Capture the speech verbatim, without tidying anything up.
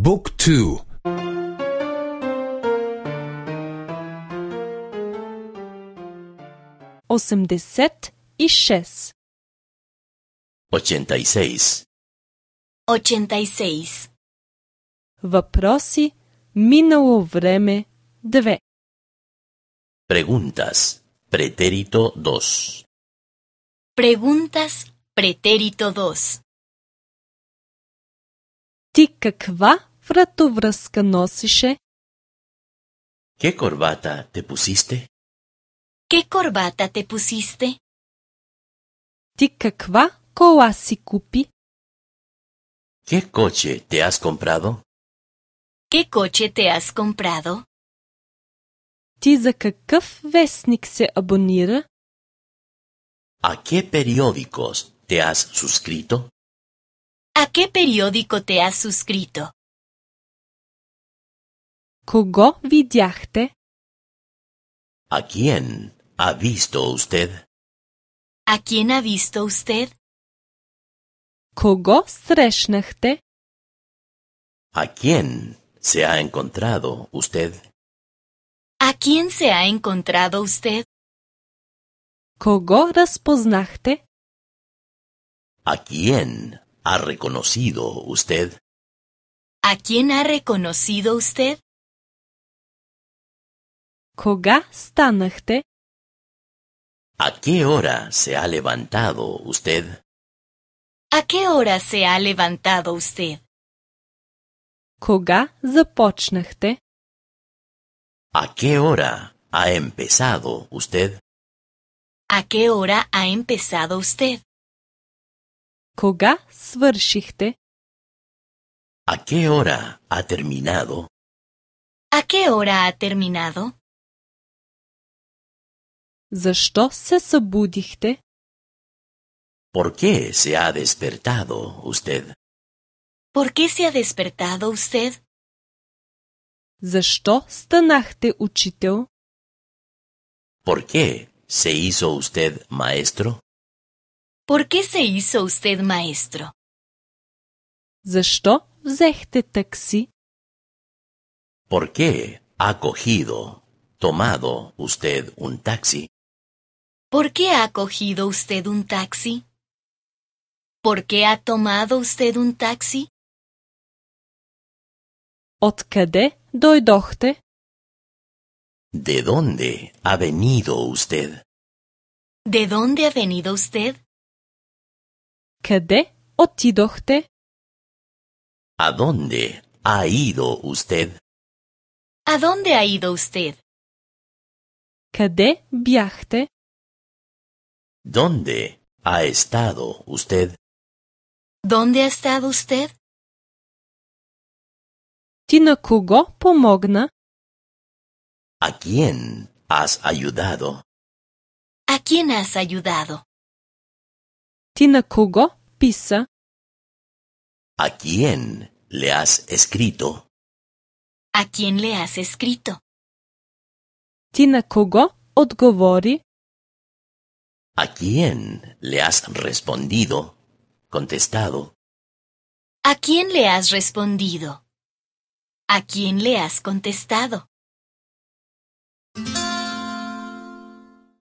บุ๊กทู осемдесет и шест. Ochenta y seis. Ochenta y seis. Въпроси, минало време, две. Preguntas. Pretérito dos. Preguntas, pretérito dos. Ти каква вратовръзка носише? ¿Qué corbata te pusiste? ¿Qué corbata te pusiste? Ти каква кола си купи? ¿Qué coche te has comprado? ¿Qué coche te has comprado? Ти за какъв вестник се абонира? ¿A qué periódicos te has suscrito? ¿A qué periódico te has suscrito? Кого видяхте? ¿A quién ha visto usted? ¿A quién ha visto usted? Кого срещнахте? ¿A quién se ha encontrado usted? ¿A quién se ha encontrado usted? Кого разпознахте? ¿A quién ha reconocido usted? ¿A quién ha reconocido usted? Кога станахте? ¿A qué hora se ha levantado usted? ¿A qué hora se ha levantado usted? Кога започнахте? ¿A qué hora ha empezado usted? ¿A qué hora ha empezado usted? Кога свършихте? ¿A qué hora ha terminado? ¿A qué hora ha terminado? Защо се събудихте? ¿Por qué se ha despertado usted? ¿Por qué se ha despertado usted? Защо станахте учител? ¿Por qué se hizo usted maestro? ¿Por qué se hizo usted maestro? Защо взехте такси? ¿Por qué ha cogido, tomado usted un taxi? ¿Por qué ha cogido usted un taxi? ¿Por qué ha tomado usted un taxi? Откъде дойдохте? ¿De dónde ha venido usted? ¿De dónde ha venido usted? Къде отидохте? ¿A dónde ha ido usted? ¿A dónde ha ido usted? Къде бяхте? ¿Dónde ha estado usted? ¿Dónde ha estado usted? Ти на кого помогна? ¿A quién has ayudado? ¿A quién has ayudado? Ти на кого писа? ¿A quién le has escrito? ¿A quién le has escrito? Ти на кого отговори? ¿A quién le has respondido? Contestado. ¿A quién le has respondido? ¿A quién le has contestado?